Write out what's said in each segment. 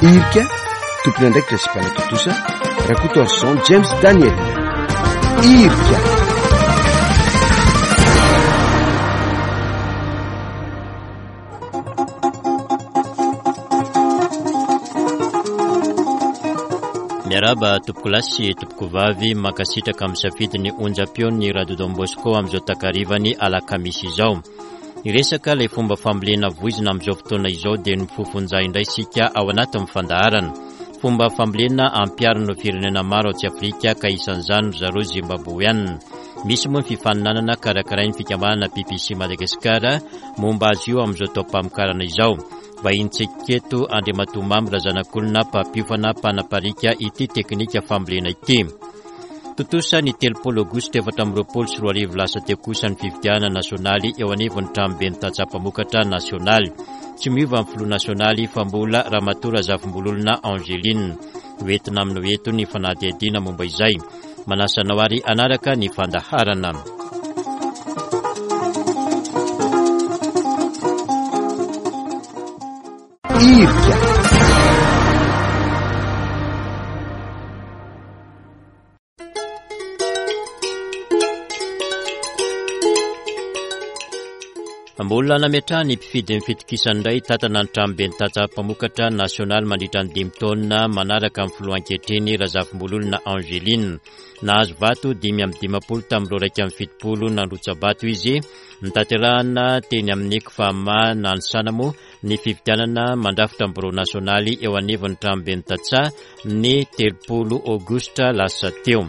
Irika, tompon'andraikitra sy mpanatontosa, Rakotoarison James Daniel. Irika. Miarahaba tompokolahy sy tompokovavy, mankasitraka amin'ny safidin'ny onjam-peon'ny Radio Don Bosco amin'izao takarivan'ny alakamisy izao. Hiresaka ilay fomba fambolena voizina amin'izao fotoana izao dia ny fofonja indray isika ao anatin'ny fandaharana. Fomba fambolena ampiharin'ireo firenena maro atsy Afrika ka isan'izany ry zareo Zimbaboeana. Misy moa ny fifaninanana karakarain'ny fikambanana PPC Madagascar momba azy io amin'izao taom-pamokarana izao. Vahinintsika eto Andriamatoa Mamy Razanakolona mpampiofana mpanapariaka ity teknika fambolena ity. Tontosa ny 30 aogositra 2024 lasa teo kosa ny fifidianana nasionaly eo anivon'ny tranoben'ny tantsaha mpamokatra nasionaly. Tsy miova ny filoha nasionaly fa mbola Ramatoa Razafimbololona Angeline. Ho entina aminao eto ny fanadihadiana momba izay. Manasa anao ary hanaraka ny fandaharana. Irika. Mbola nametrahan'ny mpifidy ny fitokisany indray hitantana ny tranoben'ny tantsaha mpamokatra nasionaly mandritra ny dimy taona manaraka ny filoha ankehitriny Razafimbololona Angeline. Nahazo vato 55 tamin'ireo 71 nandrotsa-bato izy. Notanterahana teny amin'ny Cfama Nanisana moa ny fifidianana mandrafitra ny birao nasionaly eo anivon'ny tranoben'ny tantsaha ny 30 aogositra lasa teo.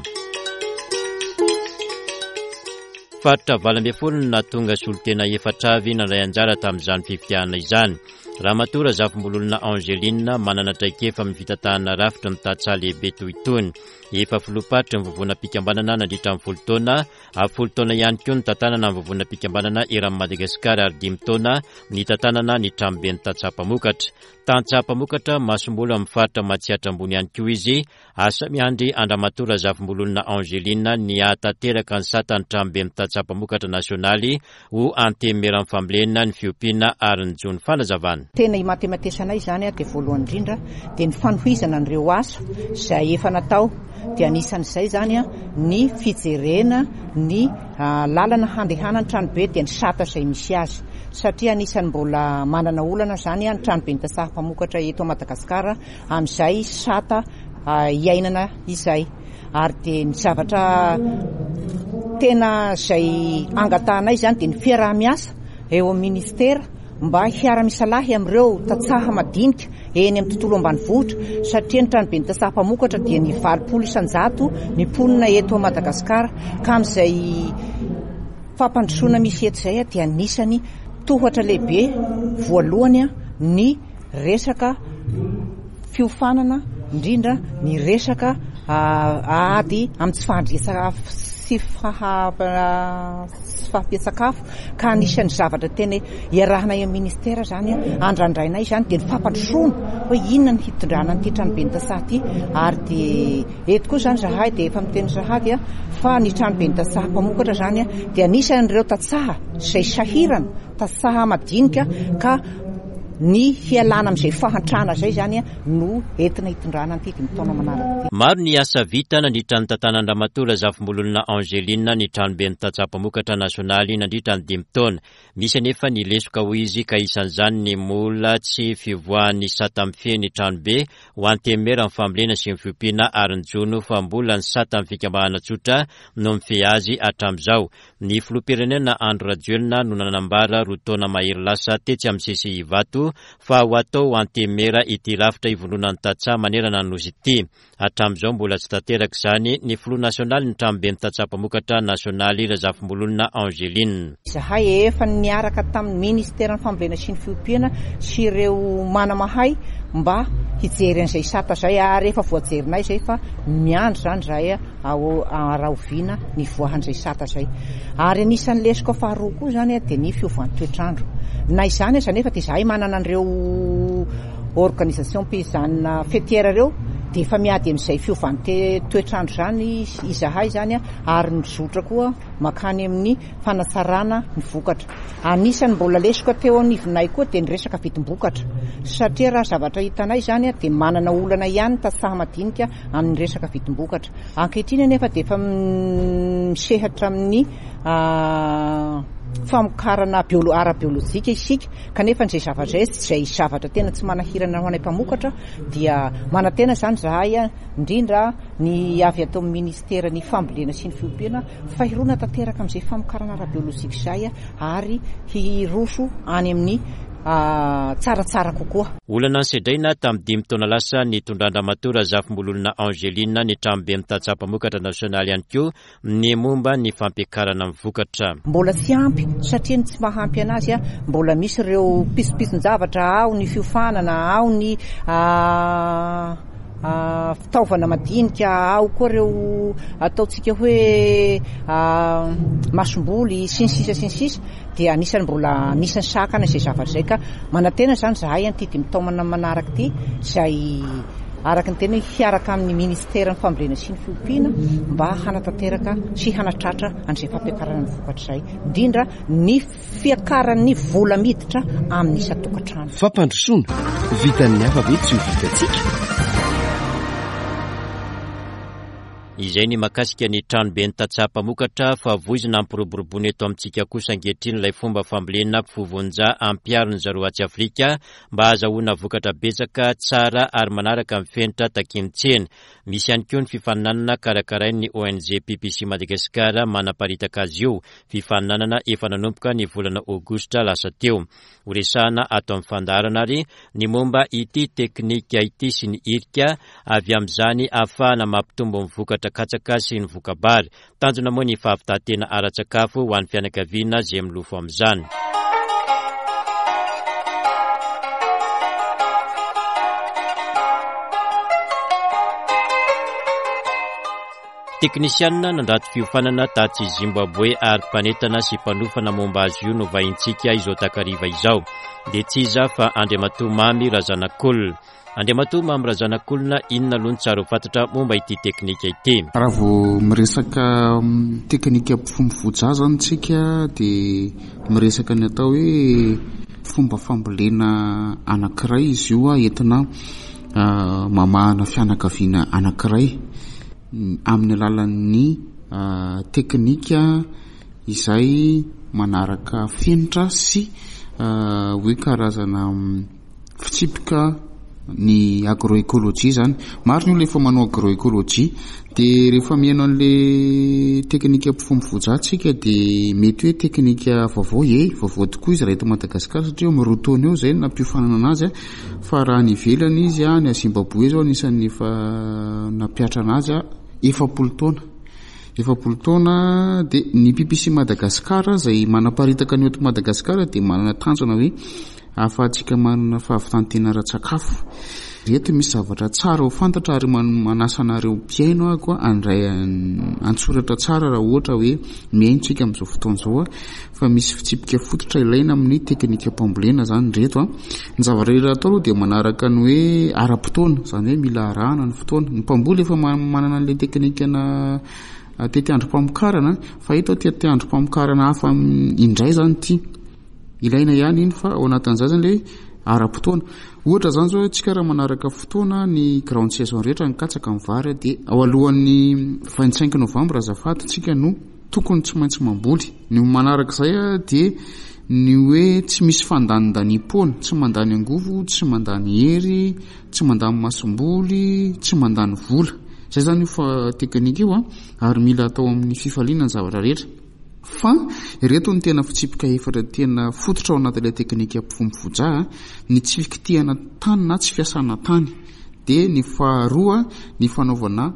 Faritra 18 no nahatonga solontena efatra avy nandray anjara tamin'izany fifidianana izany. Ramatoa Razafimbololona Angeline manana traikefa amin'ny fitantanana rafitry ny tantsaha lehibe toy itony. Efa filoham-paritry ny vovonam-pikambanana nandritra ny folo taona Avy folo taona ihany koa nitantanana ny vovonam-pikambanana eran'i Madagasikara ary dimy taona nitantanana ny tranoben'ny tantsaha mpamokatra. Tantsaha mpamokatra masomboly amin'ny faritra Matsiatra Ambony ihany koa izy. Asa miandry an-dRamatoa Razafimbololona Angeline ny hahatanteraka ny satan'ny tranoben'ny tantsaha mpamokatra nasionaly ho Antenimieran'ny fambolena, ny fiompiana ary ny jono. Fanazavana. Tena imatematesanay izany dia voalohany indrindra dia ny fanohizana an'ireo asa izay efa natao dia anisan'izay izany ny fijerena ny lalana handehanan'ny tranobe dia ny sata izay misy azy satria anisan'ny mbola manana olana izany ny tranoben'ny tantsaha mpamokatra eto Madagasikara amin'izay sata iainana izay. Ary dia ny zavatra tena izay angatahanay izany dia ny fiaraha-miasa eo amin'ny ministera mba hiara-misalahy amin'ireo tantsaha madinika eny amin'ny tontolo ambanivohitra satria ny tranoben'ny tantsaha mpamokatra dia ny 80% ny mponina eto Madagasikara ka amin'izay fampandrosoana misy eto izay dia anisany tohatra lehibe voalohany ny resaka fiofanana indrindra ny resaka ady amin'ny tsy fahandrian-tsakafo sy fahampian-tsakafo ka anisan'ny zavatra tena iarahanay amin'ny ministera izany andrandrainay izany dia ny fampandrosoana hoe inona ny hitondrana an'ity tranoben'ny tantsaha ity ary dia eto koa izany izahay dia efa miteny sahady fa ny tranoben'ny tantsaha mpamokatra izany dia anisan'ireo tantsaha izay sahirana tantsaha madinika ka Ny hialana amin'izay fahantrana izay izany no entina hitondrana an'ity dimy taona manaraka ity. Maro ny asa vita nandritra ny tantanan-dRamatoa Razafimbololona Angeline ny tranoben'ny tantsaha mpamokatra nasionaly nandritra ny dimy taona. Misy anefa ny lesoka hoy izy ka isan'izany ny mbola tsy fivoahan'ny sata mifehy ny tranobe ho antenimieran'ny fambolena sy ny fiompiana ary ny jono fa mbola ny satan'ny fikambanana tsotra no mifehy azy hatramin'izao. Ny filoham-pirenena Andry Rajoelina no nanambara roa taona mahery lasa tetsy amin'ny CCI Ivato fa ho atao antenimiera ity rafitra ivondronan'ny tantsaha manerana ny Nosy ity. Hatramin'izao mbola tsy tanteraka izany ny filoha nasionalin'ny tranoben'ny tantsaha mpamokatra nasionaly Razafimbololona Angeline. Izahay efa niaraka tamin'ny ministeran'ny fambolena sy ny fiompiana sy ireo manamahay mba hijery an'izay sata izay ary efa voajerinay izay fa miandry izany izahay Ao rahoviana nivoahan'izay sata izay. Ary anisan'ny lesoka faharoa koa izany dia ny fiovan'ny toetr'andro. Na izany aza anefa dia izahay manana an'ireo organisation paysanne faitière ireo. Dia efa miady amin'izay fiovan'ny toetr'andro izany izahay izany ary mizotra koa mankany amin'ny fanatsarana ny vokatra. Anisan'ny mbola lesoka teo anivonay koa dia ny resaka vidim-bokatra satria raha zavatra hitanay izany dia manana olana ihany ny tantsaha madinika amin'ny resaka vidim-bokatra. Ankehitriny anefa dia efa misehatra amin'ny famokarana ara-biolojika isika kanefa izay zavatra izay izay zavatra tena tsy manahirana ho anay mpamokatra dia manantena izany izahay indrindra ny avy ato amin'ny ministeran'ny fambolena sy ny fiompiana fa hirona tanteraka amin'izay famokarana ara-biolojika izay ary hiroso any amin'ny tsaratsara kokoa. Olana nosedraina tamin'ny dimy taona lasa nitondran-dRamatoa Razafimbololona Angeline ny tranoben'ny tantsaha mpamokatra nasionaly ihany koa ny momba ny fampiakarana ny vokatra. Mbola tsy ampy satria ny tsy mahampy anazy mbola misy ireo pitsopitson-javatra ao ny fiofanana, ao ny fitaovana madinika, ao koa ireo ataontsika hoe masomboly sy ny sisa sy ny sisa dia anisan'ny mbola anisan'ny sakana izay zavatra izay ka manantena izany izahay an'ity dimy taona manaraka ity izay araka ny teny hoe hiaraka amin'ny ministeran'ny fambolena sy ny fiompiana mba hanatanteraka sy hanatratra an'izay fampiakarana ny vokatra izay, indrindra ny fiakaran'ny vola miditra amin'ny isan-tokantrano. Fampandrosoana, vitan'ny hafa ve tsy ho vitantsika? Izay ny mahakasika ny tranoben'ny tantsaha mpamokatra fa voizina hampiroboroboana eto amintsika kosa ankehitriny ilay fomba fambolena mpivovonja ampiharin'ny zareo atsy Afrika mba hahazahoana vokatra betsaka, tsara ary manaraka ny fenitra takian'ny tsena. Misy ihany koa ny fifaninanana karakarain'ny ONG PPC Madagascar manaparitaka azy io, fifaninanana efa nanomboka ny volana aogositra lasa teo. Horesahana ato amin'ny fandaharana ary ny momba ity teknika ity sy ny hirika avy amin'izany ahafahana mampitombo ny vokatra katsaka sy ny voka-bary. Tanjona moa ny fahavitan-tena ara-tsakafo ho an'ny fianakaviana izay milofo amin'izany. Teknisianina nandrato fiofanana tatsy Zimbabwe ary mpanentana sy mpanofana momba azy io no vahintsika izao takariva izao. Dia tsy iza fa Andriamatoa Mamy Razanakolona. Andriamatoa Mamy Razanakolona, inona aloha no tsara ho fantatra momba ity teknika ity? Raha vao miresaka teknika mpifombovoja zany tsika dia miresaka ny atao hoe fomba fambolena anankiray izy io entina mamahana fianakaviana anankiray amin'ny alalan'ny teknika izay manaraka fenitra sy hoe karazana fitsipika ny agroécologie zany. Maro ny olona efa manao agroécologie de rehefa mihaino an'le teknika mpifombovoja tsika de mety hoe teknika vaovao, ye vaovao tokoa izy raha eto Madagasikara satria eo amin'ny roa taona eo zay no nampiofanana anazy fa raha any ivelany izy any Zimbabwe zao anisan'ny efa nampiatra anazy 40 taona. 40 taona de ny PPC Madagascar izay manaparitaka ny eto Madagasikara dia manana tanjona hoe Ahafahantsika manana fahavitan-tena ara-tsakafo. Ireto misy zavatra tsara ho fantatra ary manasa anareo mpihaino aho koa handray an-tsoratra tsara raha ohatra hoe mihaino tsika amin'izao fotoana izao fa misy fitsipika fototra ilaina amin'ny teknikam-pambolena izany ireto. Ny zavatra rehetra atao aloha dia manaraka ny hoe ara-potoana, izany hoe mila arahana ny fotoana. Ny mpamboly efa manana an'ilay teknikana tetiandrom-pamokarana fa eto tetiandrom-pamokarana hafa indray izany ity. Ilaina ihany iny fa ao anatin'izay zany le ara-potoana. Ohatra zany zao tsika raha manaraka fotoana ny grande saison rehetra ny katsaka ny vary dia ao alohan'ny 25 novembre azafady tsika no tokony tsy maintsy mamboly. Ny manaraka izay dia ny hoe tsy misy fandanindaniam-poana, tsy mandany angovo, tsy mandany hery, tsy mandany masomboly, tsy mandany vola. Izay zany io fa teknika io ary mila atao amin'ny fifaliana ny zavatra rehetra. Fa ireto no tena fitsipika efatra tena fototra ao anatin'ilay teknika mpifombofoja, ny tsy fikitihana tany na tsy fiasana tany, dia ny faharoa ny fanaovana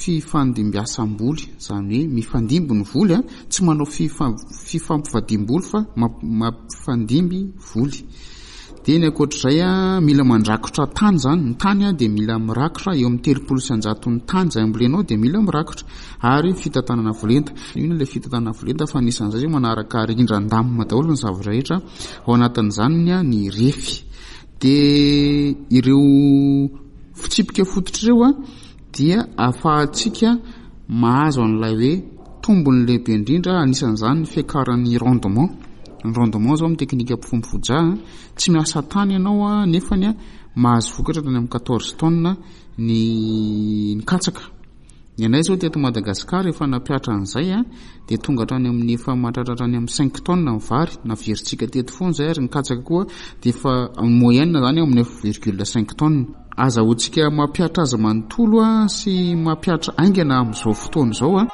fifandimbiasam-boly, izany hoe mifandimby ny voly, tsy manao fifampivadiam-boly fa mampifandimby voly. Dia ny ankoatr'izay, mila mandrakotra tany izany, ny tany dia mila mirakotra eo amin'ny 30% ny tany izay ambolenao dia mila mirakotra, ary fitantanana avo lenta. Inona ilay fitantanana avo lenta fa anisan'izay izay manaraka rindran-damina daholo ny zavatra rehetra, ao anatin'izany ny refy. Dia ireo. fitsipika fototra ireo dia ahafahantsika mahazo an'ilay hoe tombony lehibe indrindra, anisan'izany ny fiakaran'ny rendement. Ny rendement izao amin'ny teknika mpifombofoja, tsy miasa tany ianao nefany mahazo vokatra hatrany amin'ny quatorze tonnes ny katsaka. Ny anay izao teto Madagasikara efa nampihatra an'izay dia tonga hatrany amin'ny efa mahatratra hatrany amin'ny cinq tonnes ny vary, naverintsika teto foana izay ary ny katsaka koa dia efa en moyenne izany eo amin'ny neuf virgule cinq tonnes. Azahoantsika mampihatra azy manontolo sy mampihatra haingana amin'izao fotoana izao.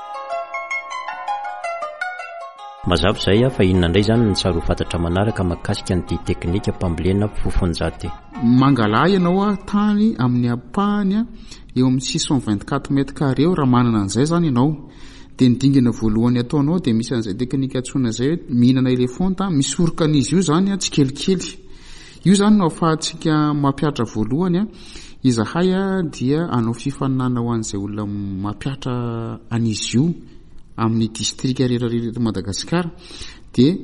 Mazava izay fa inona indray izany no tsara ho fantatra manaraka mahakasika an'ity teknikam-pambolena fofonjato ity? Mangalaha ianao tany amin'ny ampahany eo amin'ny 624 mètres carrés eo raha manana an'izay izany ianao. Dia ny dingana voalohany ataonao dia misy an'izay teknika antsoina izay hoe mihinana elefanta, misoroka an'izy io izany tsikelikely. Io izany no ahafahantsika mampihatra voalohany. Izahay dia hanao fifaninanana ho an'izay olona mampihatra an'izy io amin'ny distrika rehetra rehetra eto Madagasikara. Dia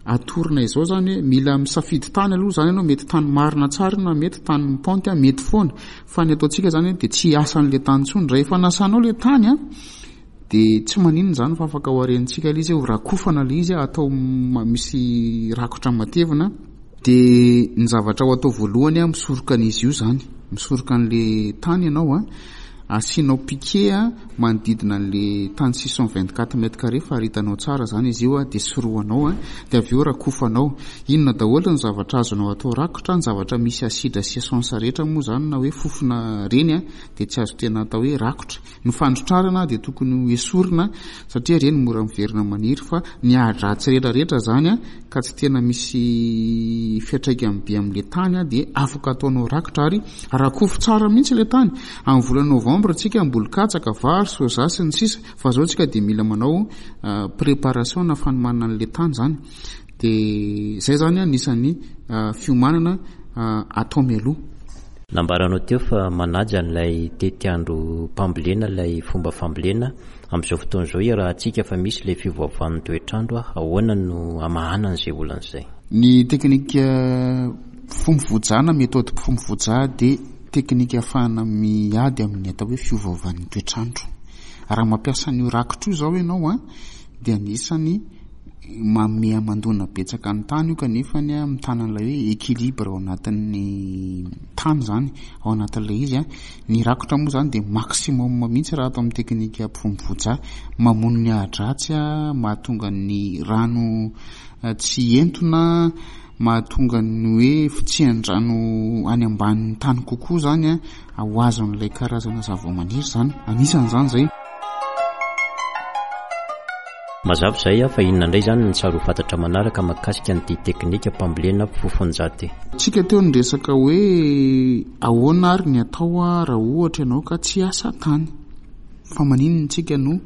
atorona izao izany hoe mila misafidy tany aloha izany ianao, mety tany marina tsara io na mety tany mipaonty, mety foana. Fa ny ataontsika izany dia tsy hiasa an'ilay tany intsony. Rehefa nasanao ilay tany dia tsy maninona izany fa afaka hoharenintsika ilay izy, ho rakofana ilay izy, atao misy rakotra matevina. Dia ny zavatra ho atao voalohany an, misoroka an'izy io izany, misoroka an'ilay tany ianao an, asianao piquet an, manodidina an'ilay tany 624 mètres carrés faritanao tsara izany izy io an, dia sorohanao an, dia avy eo rakofanao. Inona daholo ny zavatra azonao atao rakotra, ny zavatra misy asidra sy essence rehetra moa izany na hoe fofona ireny an, dia tsy azo tena atao hoe rakotra. Ny fandrotrarana dia tokony ho esorina satria ireny mora miverina maniry fa ny ahi-dratsy rehetra rehetra izany ka tsy tena misy fiantraikany be amin'ilay tany dia afaka ataonao rakotra ary rakofy tsara mihitsy ilay tany. Amin'ny volana novembre tsika hamboly katsaka, vary, soja sy ny sisa fa izao tsika dia mila manao préparation na fanomanana an'ilay tany izany. Dia izay izany anisan'ny fiomanana atao mialoha. Nambaranao teo fa manaja an'ilay tetiandrom-pambolena ilay fomba fambolena. Amin'izao fotoana izao iarahantsika fa misy ilay fiovaovan'ny toetr'andro, ahoana no hamahana an'izay olana izay? Ny teknika fombo-voja na méthode fombo-voja dia teknika ahafahana miady amin'ny atao hoe fiovaovan'ny toetr'andro. Raha mampiasa an'io rakitra io izao ianao dia anisany manome hamandoana betsaka ny tany io kanefa ny mitana an'ilay hoe équilibre ao anatin'ny tany izany ao anatin'ilay izy. Ny rakotra moa izany dia maximum mihitsy raha ato amin'ny teknika mpivombovoja. Mamono ny ahidratsy, mahatonga ny rano tsy hientona, mahatonga ny hoe fitsihan-drano any ambanin'ny tany kokoa izany ho azon'ilay karazana zavamaniry izany. Anisan'izany izay. Mazava izay fa inona indray izany no tsara ho fantatra manaraka mahakasika an'ity teknikam-pambolena fofonjato ity? Tsika teo niresaka hoe ahoana ary ny atao raha ohatra ianao ka tsy hiasa tany. Fa maninona tsika no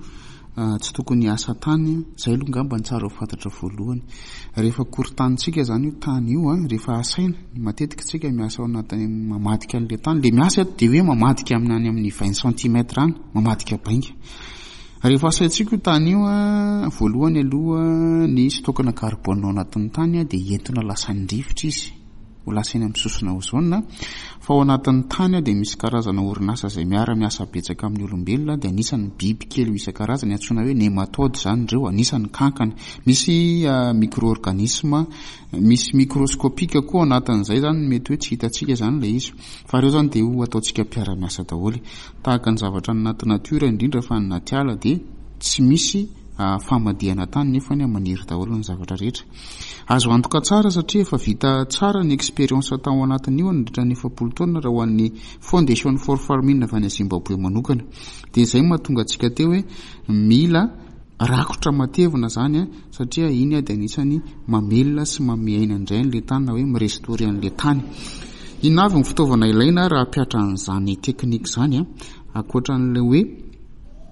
tsy tokony hiasa tany? Izay aloha angamba no tsara ho fantatra voalohany. Rehefa korontanintsika izany io tany io, rehefa asaina, matetika tsika miasa ao anatin'ny mamadika an'ilay tany. Ilay miasa eto dia hoe mamadika amin'ny any amin'ny vingt centimètres any, mamadika bainga. Rehefa asaintsika io tany io, voalohany aloha ny stock-na carbone ao anatin'ny tany dia entona lasan'ny rivotra izy, ho lasa eny amin'ny sosona ozone. Fa ao anatin'ny tany dia misy karazana orinasa izay miara-miasa betsaka amin'ny olombelona, dia anisan'ny biby kely isan-karazany antsoina hoe nématode izany ireo, anisan'ny kankana. Misy micro-organisme, misy microscopique koa ao anatin'izay izany, mety hoe tsy hitantsika izany ilay izy. Fa ireo izany dia ho ataontsika mpiara-miasa daholo. Tahaka ny zavatra any anaty natiora indrindra fa any anaty ala dia tsy misy famadihana tany nefa ny maniry daholo ny zavatra rehetra. Azo antoka tsara satria efa vita tsara ny expérience tao anatin'io nandritra ny 40 taona raha ho an'ny Foundation for Farming avy any Zimbabwe manokana. Dia izay no mahatonga antsika teo hoe mila Rakotra matevina zany an, satria iny dia anisany mamelona sy manome aina indray an'ilay tany na hoe mi-restaurer an'ilay tany. Inona avy ny fitaovana ilaina raha hampiatra an'izany technique izany an? Ankoatra an'ilay hoe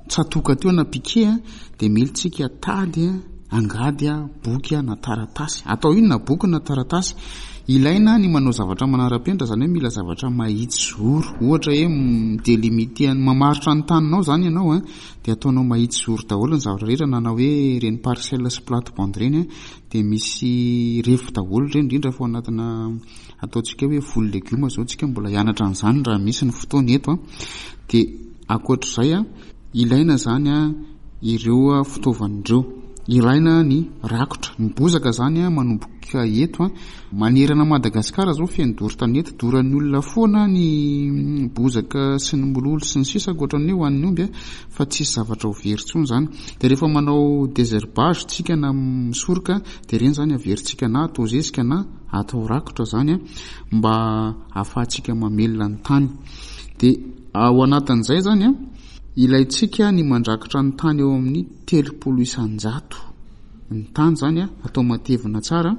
tsatoka teo na piquet an, dia mila tsika tady an, angady an, boky an, na taratasy. Atao inona boky na taratasy? Ilaina ny manao zavatra manara-penitra, izany hoe mila zavatra mahitsy zoro. Ohatra hoe mi-delimiter, mamaritra ny taninao izany ianao an, dia ataonao mahitsy zoro daholo ny zavatra rehetra, na na hoe ireny parcelle sy plate bande ireny an, dia misy refy daholo ireny, indrindra fa ao anatina ataontsika hoe voly legioma izao tsika mbola hianatra an'izany raha misy ny fotoana eto an. Dia ankoatr'izay an, Ilaina izany ireo fitaovana ireo. Ilaina ny rakotra. Ny bozaka izany manomboka eto. Manerana an'i Madagasikara izao feno doro tanety. Doran'ny olona foana ny bozaka sy ny mololo sy ny sisa ankoatran'ny hoe ho an'ny omby fa tsisy zavatra ho very intsony izany. Dia rehefa manao désherbage tsika na misoroka dia ireny izany averintsika na atao zezika na atao rakotra izany mba ahafahantsika mamelona ny tany. Dia Ao anatin'izay izany, ilaintsika ny mandrakotra ny tany eo amin'ny 30 isan-jato. Ny tany izany atao matevina tsara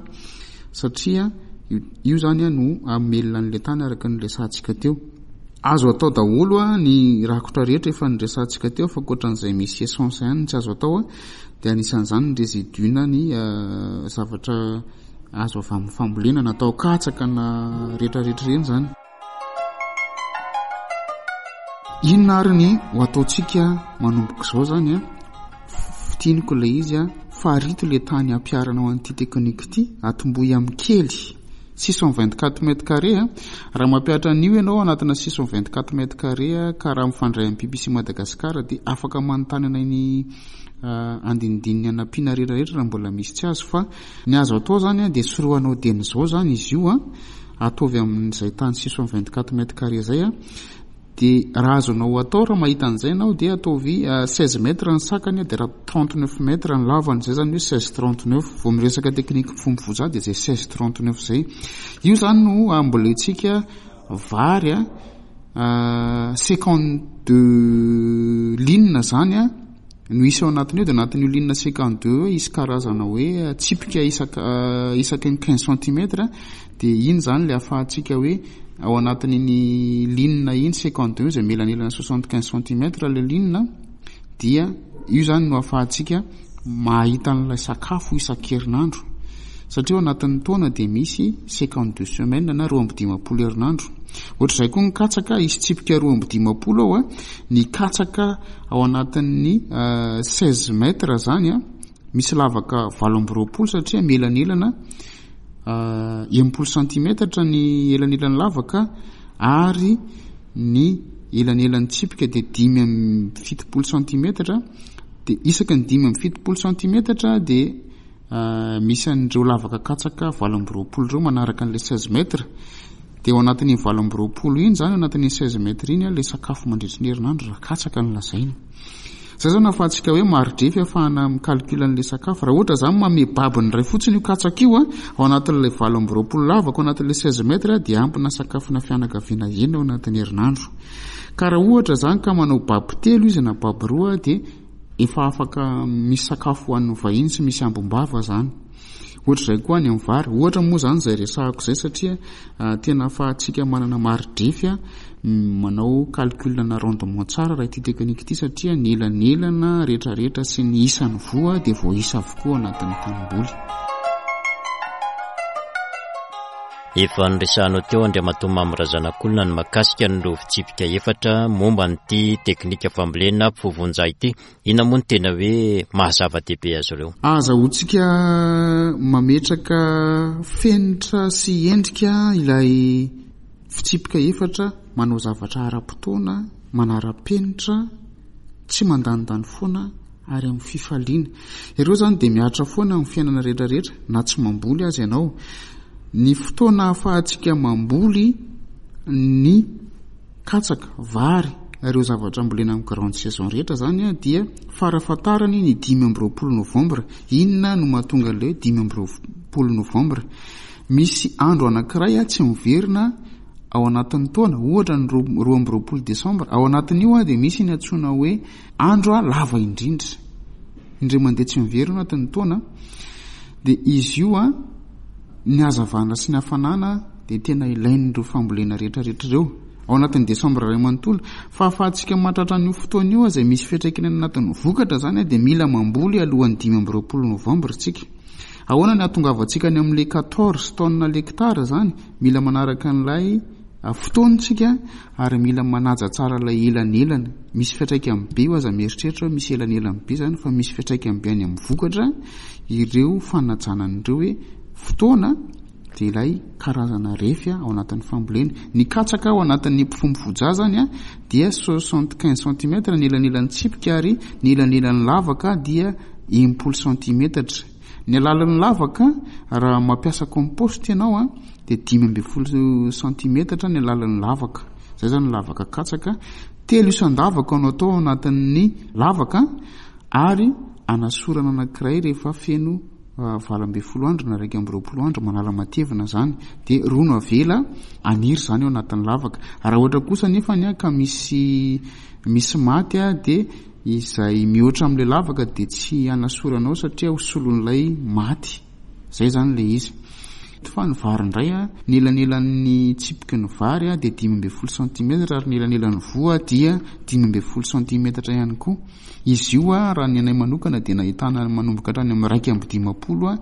satria io izany no hamelona an'ilay tany araka ny resahantsika teo. Azo atao daholo ny rakotra rehetra efa niresahantsika teo fa ankoatran'izay misy essence ihany no tsy azo atao dia anisan'izany ny résidu na ny zavatra azo avy amin'ny fambolena na atao katsaka na rehetrarehetra ireny izany. Inona ary ny ho ataontsika manomboka izao izany an? Fintiniko ilay izy an, farito ilay tany hampiharanao an'ity teknika ity, atombohy amin'ny kely, 624 mètres carrés an. Raha mampihatra an'io ianao anatina 624 mètres carrés ka raha mifandray amin'ny BBC Madagascar dia afaka manontany anay ny andinindininy hanampiana rehetra rehetra raha mbola misy tsy azo fa ny azo atao izany an dia sorohanao dieny izao izany izy io an. Ataovy amin'izay tany 624 mètres carrés izay a. Dia raha azonao atao, raha mahita an'izay ianao dia ataovy 16 mètres ny sakany dia raha 39 mètres ny lavany, izay izany hoe 16 39. Vao miresaka teknika mifompivoza dia izay 16 39 izay. Io izany no ambolentsika vary a, 52 lignes izany a. No hisy ao anatin'io dia anatin'io ligne 52 io hisy karazana hoe tsipika isaka isaky ny 15 centimètres dia iny izany ilay ahafahantsika hoe ao anatin'iny ligne iny 52 izay mielanelana 75 centimètres ilay ligne dia io izany no ahafahantsika mahita an'ilay sakafo isan-kerinandro satria ao anatin'ny taona dia misy 52 semaines na 52 herinandro. Ohatr'izay koa ny katsaka, hisy tsipika 52 ao a, ny katsaka Ao anatin'ny 16 mètres zany a, misy lavaka 28 satria mielanelana 60 centimètres ny elanelan'ny lavaka ary ny elanelan'ny tsipika dia 75 centimètres dia isaky ny 75 centimètres dia Misy an'ireo lavaka katsaka 28 ireo manaraka an'ilay 16 mètres. Dia ao anatin'iny 28 iny izany, ao anatin'iny 16 mètres iny ilay sakafo mandritry ny herinandro raha katsaka no lazaina. Izay izany ahafahantsika hoe mari-drefy ahafahana mi-calcul an'ilay sakafo. Raha ohatra izany manome babiny iray fotsiny io katsaka io ao anatin'ilay 28 lavaka ao anatin'ilay 16 mètres dia ampina sakafona fianakaviana enina ao anatin'ny herinandro. Ka raha ohatra izany ka manao baby telo izy na baby roa dia Efa afaka misy sakafo ho an'ny vahiny sy misy ambim-bava zany. Ohatr'izay koa any amin'ny vary. Ohatra moa zany izay resahako izay satria tena ahafahantsika manana mari-drefy manao calcul na rendement tsara raha ity teknika ity satria ny elanelana rehetrarehetra sy ny isan'ny voa dia voaisa avokoa anatin'ny tanimboly. Efa noresahanao teo Andriamatoa Mamy Razanakolona ny mahakasika an'ireo fitsipika efatra momba an'ity teknika fambolena fovonja ity. Inona moa no tena hoe maha zava-dehibe azy ireo? Ahazahoantsika mametraka fenitra sy endrika ilay fitsipika efatra manao zavatra ara-potoana, manara-penitra, tsy mandanindany foana ary amin'ny fifaliana. Ireo izany dia mihatra foana amin'ny fiainana rehetra rehetra na tsy mamboly aza ianao. Ny fotoana ahafahantsika mamboly ny katsaka, vary, ireo zavatra ambolena amin'ny grande saison rehetra izany dia farafahatarany ny 25 novambra. Inona no mahatonga ilay hoe 25 novambra? Misy andro anankiray tsy miverina ao anatin'ny taona, ohatra ny 22 desambra. Ao anatin'io dia misy ny antsoina hoe Andro lava indrindra, indray mandeha tsy miverina anatin'ny taona, dia izy io ny hazavana sy ny hafanana dia tena ilain'ireo fambolena rehetra rehetra ireo. Ao anatin'ny desambra iray manontolo. Fa ahafahantsika mahatratra an'io fotoana io izay misy fiantraikany any anatin'ny vokatra izany dia mila mamboly alohan'ny 25 novambra isika. Ahoana ny hahatongavantsika any amin'ilay 14 tonnes l'hectare izany? Mila manaraka an'ilay fotoana isika ary mila manaja tsara ilay elanelana. Misy fiantraikany be io, aza mieritreritra hoe misy elanelany be izany fa misy fiantraikany be any amin'ny vokatra ireo fanajana an'ireo hoe fotoana dia ilay karazana refy ao anatin'ny fambolena. Ny katsaka ao anatin'ny mpifombo izany dia 75 centimètres ny elanelan'ny tsipika ary ny elanelan'ny lavaka dia 60 centimetatra. Ny halalin'ny lavaka raha mampiasa compost ianao dia 15 centimetatra ny halalin'ny lavaka. Izay izany ny lavaka katsaka. Telo isan-davaka no atao ao anatin'ny lavaka ary anasorana anankiray rehefa feno 18 andro na 21 andro manala matevina izany dia roa no avela haniry izany ao anatin'ny lavaka. Raha ohatra kosa anefa ny ka misy misy maty dia izay mihoatra amin'ilay lavaka dia tsy hanasoranao satria ho solon'ilay maty. Izay izany ilay izy. Fa ny vary indray, ny elanelan'ny tsipiky ny vary dia 15 centimètres ary ny elanelan'ny voa dia 15 centimètres ihany koa. Izy io raha ny anay manokana dia nahitana manomboka hatrany amin'ny 51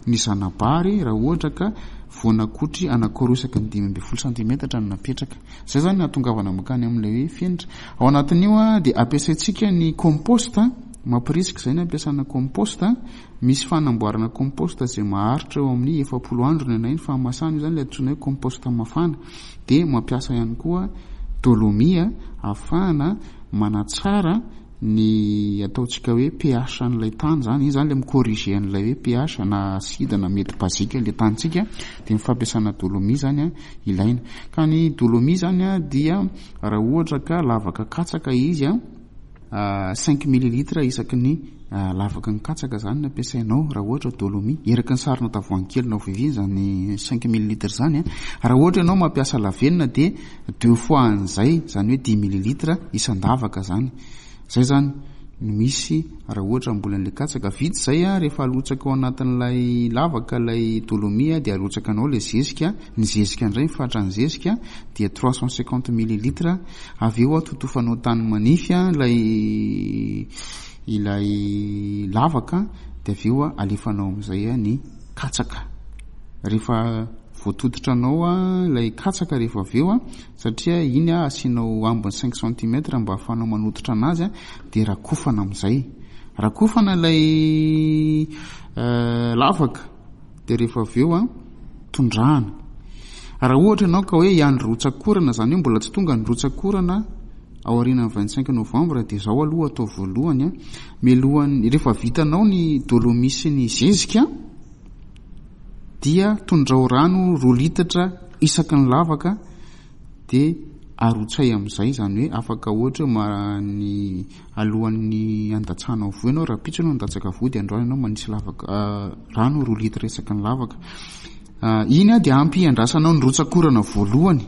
ny zana-bary raha ohatra ka voanakotry anankiroa isaky ny 15 centimètres no napetraka. Izay izany no hahatongavana mankany amin'ilay hoe fenitra. Ao anatin'io dia ampiasaintsika ny compost, mampirisika izay ny ampiasana compost. Misy fanamboarana compost izay maharitra eo amin'ny 40 andro ny anay ny fahamasahana, io izany ilay antsoina hoe compost mafana. Dia mampiasa ihany koa dolomie ahafahana manatsara ny ataontsika hoe pH an'ilay tany izany, iny izany ilay mi-corriger an'ilay hoe pH na acide na mety basique ilay tanintsika, dia ny fampiasana dolomie izany ilaina. Ka ny dolomie izany dia raha ohatra ka lavaka katsaka izy, cinq millilitres isaky ny lavaky ny katsaka izany no ampiasainao raha ohatra dolomie. Eraky ny sarona tavoahangy kely na ovivy izany cinq millilitres izany. Raha ohatra ianao mampiasa lavenona dia deux fois an'izay, izany hoe dix millilitres isan-davaka izany. Izay izany no misy raha ohatra hamboly an'ilay katsaka. Vita izay rehefa alotsaka ao anatin'ilay lavaka ilay dolomie dia alotsaka anao ilay zezika. Ny zezika indray, ny fatran'ny zezika dia 350 millilitres. Avy eo totofanao tany manify ilay ilay lavaka dia avy eo alefanao amin'izay ny katsaka. Rehefa voatototra anao ilay katsaka rehefa avy eo satria iny asianao ambiny cinq centimètres mba ahafahanao manototra anazy dia rakofana amin'izay. Rakofana ilay lavaka dia rehefa avy eo tondrahana. Raha ohatra ianao ka hoe hiandry rotsak'orana, izany hoe mbola tsy tonga ny rotsak'orana aorianan'ny 25 novembre dia izao aloha atao voalohany, mialohan'ny rehefa vitanao ny dolomie sy ny zezika dia tondrao rano roa litatra isaky ny lavaka dia arotsay amin'izay, izany hoe afaka ohatra hoe ny alohan'ny handatsahanao voa ianao, rahampitso ianao handatsaka voa dia androany ianao manisy lavaka rano roa litre isaky ny lavaka. Iny dia ampy hiandrasanao ny rotsak'orana voalohany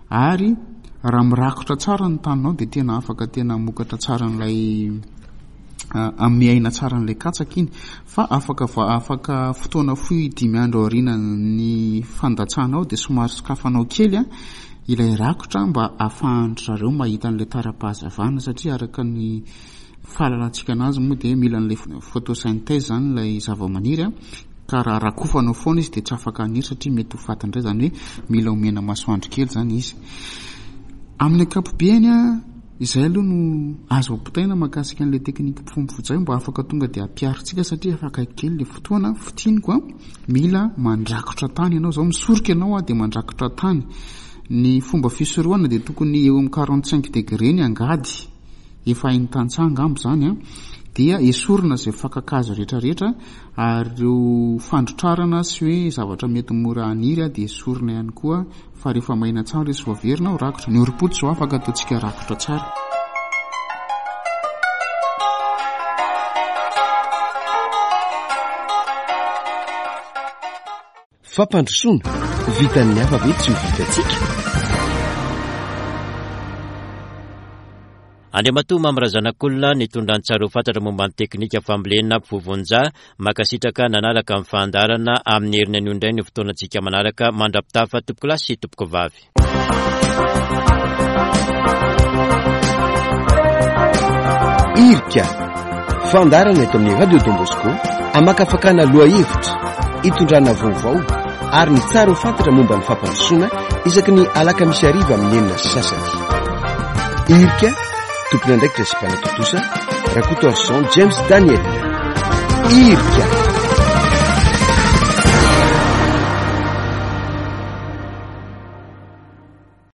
ary raha mirakotra tsara ny taninao dia tena afaka tena hamokatra tsara an'ilay hanome aina tsara an'ilay katsaka iny fa afaka afaka fotoana fohy dimy andro aorianan'ny fandatsahanao dia somary sokafanao kely ilay rakotra mba ahafahan-dry zareo mahita an'ilay tara-pahazavana satria araka ny fahalalantsika anazy moa dia mila an'ilay photosynthèse izany ilay zavamaniry ka raha rakofanao foana izy dia tsy afaka haniry satria mety ho faty indray izany hoe mila omena masoandro kely izany izy. Amin'ny ankapobeny izay aloha no azo ampitaina mahakasika an'ilay teknika mpifombo mba afaka tonga dia ampiharintsika satria efa akaiky kely ilay fotoana. Fintiniko mila mandrakotra tany ianao izao, misoroka ianao dia mandrakotra tany. Ny fomba fisorohana dia tokony eo amin'ny 45 degré ny angady, efa hain'ny tantsaha angamba izany an, dia esorina izay fakan-kazo rehetrarehetra ary ireo fandrotrarana sy hoe zavatra mety mora haniry dia esorina ihany koa fa rehefa maina tsara izy vao averina ho rakotra. Ny orim-potsy izao afaka ataontsika rakotra tsara. Fampandrosoana, vitan'ny hafa ve tsy ho vitantsika? Andriamatoa Mamy Razanakolona nitondra ny tsara ho fantatra momba ny teknika fambolena vovonja. Mankasitraka nanaraka ny fandaharana amin'ny heriny anio indray ny fotoanantsika manaraka mandra-pitafa tompokolahy sy tompokovavy. Irika. Fandaharana eto amin'ny Radio Don Bosco hamakafakana lohahevitra, hitondrana vaovao ary ny tsara ho fantatra momba ny fampandrosoana isaky ny alakamisy hariva amin'ny 6:30. Irika, tompon'andraikitra sy mpanatontosa, Rakotoarison James Daniel. Irika.